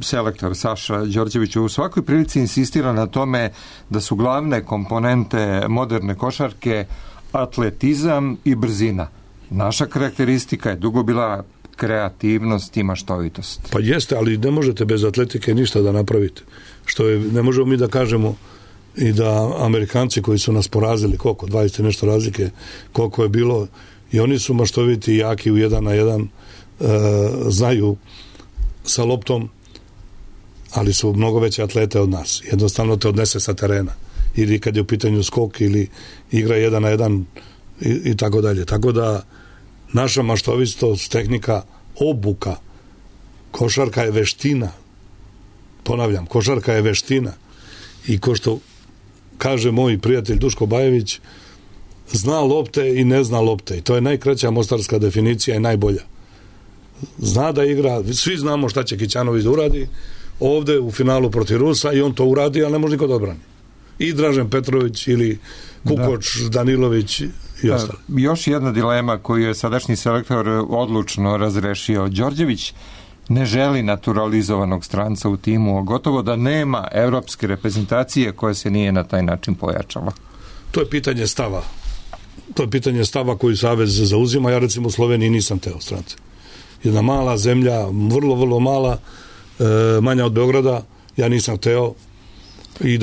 selektor Saša Đorđević u svakoj prilici insistira na tome da su glavne komponente moderne košarke atletizam i brzina. Naša karakteristika je dugo bila kreativnost i maštovitost. Pa jeste, ali ne možete bez atletike ništa da napravite. Ne možemo mi da kažemo i da Amerikanci koji su nas porazili, koliko, 20 nešto razlike, koliko je bilo, i oni su maštoviti i jaki u 1 na 1, znaju sa loptom, ali su mnogo veće atlete od nas. Jednostavno te odnese sa terena. Ili kad je u pitanju skok, ili igra 1 na 1 i tako dalje. Tako da naša maštovitost, tehnika, obuka, košarka je veština. Ponavljam, košarka je veština. I ko što kaže moj prijatelj Duško Bajević, zna lopte i ne zna lopte. I to je najkraća mostarska definicija i najbolja. Zna da igra, svi znamo šta će Kićanović da uradi ovde u finalu protiv Rusa i on to uradi, ali ne može niko da odbrani. I Dražen Petrović ili Kukoč, Danilović i ostali. Još jedna dilema koju je sadašnji selektor odlučno razrešio. Đorđević ne želi naturalizovanog stranca u timu, gotovo da nema evropske reprezentacije koja se nije na taj način pojačala. To je pitanje stava. To je pitanje stava koji Savez zauzima. Ja recimo u Sloveniji nisam teo strance. Jedna mala zemlja, vrlo, vrlo mala, manja od Beograda, ja nisam teo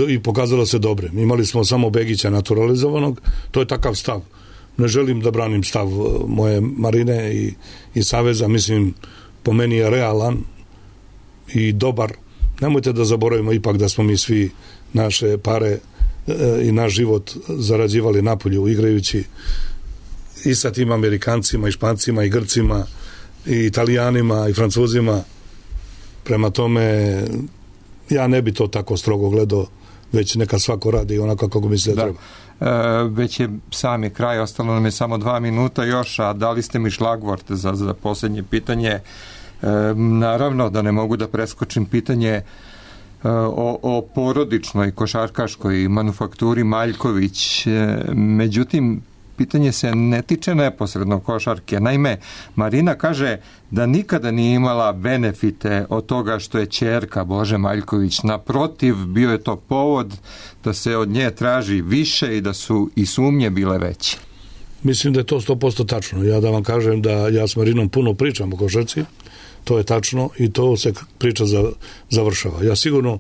i pokazalo se dobre. Imali smo samo Begića naturalizovanog, to je takav stav. Ne želim da branim stav moje Marine i Saveza, mislim, po meni je realan i dobar. Nemojte da zaboravimo ipak da smo mi svi naše pare i naš život zarađivali napolju igrajući i sa tim Amerikancima i Špancima i Grcima i Italijanima i Francuzima. Prema tome ja ne bi to tako strogo gledao, već neka svako radi onako kako misle da treba. Već je sami kraj, ostalo nam je samo 2 minuta još, a dali ste mi šlagvort za posljednje pitanje. Naravno da ne mogu da preskočim pitanje o porodičnoj košarkaškoj manufakturi Maljković. Međutim, pitanje se ne tiče neposredno košarke. Naime, Marina kaže da nikada nije imala benefite od toga što je ćerka Bože Maljković. Naprotiv, bio je to povod da se od nje traži više i da su i sumnje bile veće. Mislim da je to 100% tačno. Ja da vam kažem da ja s Marinom puno pričam o košarci, to je tačno i to se priča završava. Ja sigurno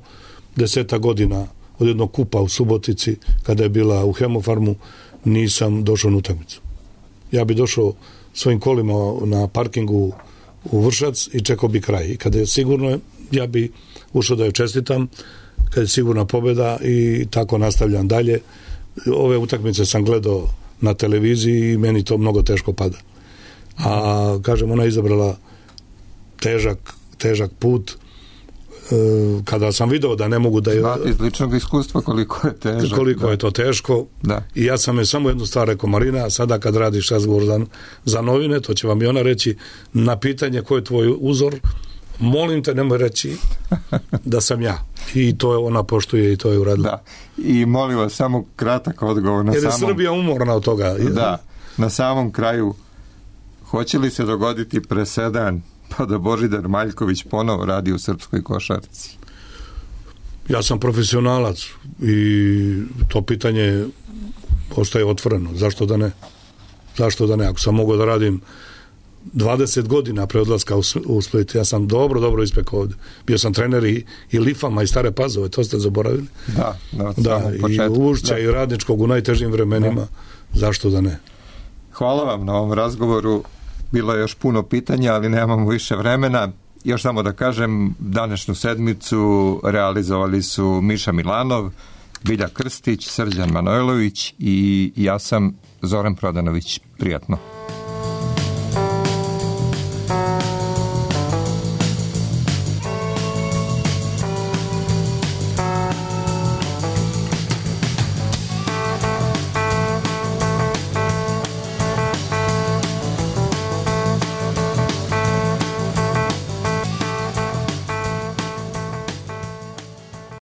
10 godina od jednog kupa u Subotici, kada je bila u Hemofarmu, nisam došao na utakmicu. Ja bi došao svojim kolima na parkingu u Vršac i čekao bi kraj. I kada je sigurno, ja bi ušao da je čestitam, kada je sigurna pobjeda i tako nastavljam dalje. Ove utakmice sam gledao na televiziji i meni to mnogo teško pada. A, kažem, ona je izabrala težak put. Kada sam video da ne mogu da je... Znate iz ličnog iskustva koliko je težak. Koliko je to teško. Da. I ja sam je samo jednu stvar rekao, Marina, sada kad radiš razgovor za novine, to će vam i ona reći, na pitanje ko je tvoj uzor, molim te nemoj reći da sam ja. I to je ona poštuje i to je uradila. Da. I molim vas samo kratak odgovor na jer je Srbija umorna od toga. Da. Na samom kraju, hoće li se dogoditi presedan pa da Božidar Maljković ponovo radi u srpskoj košarci? Ja sam profesionalac i to pitanje ostaje otvoreno. Zašto da ne? Zašto da ne? Ako sam mogao da radim 20 godina pre odlaska u Split, ja sam dobro ispekao ovdje. Bio sam trener i Lifama i Stare Pazove, to ste zaboravili. Da, i Ušća i Radničkog u najtežim vremenima. Da. Zašto da ne? Hvala vam na ovom razgovoru. Bilo je još puno pitanja, ali nemamo više vremena. Još samo da kažem, današnju sedmicu realizovali su Miša Milanov, Bilja Krstić, Srđan Manojlović i ja sam Zoran Prodanović. Prijatno.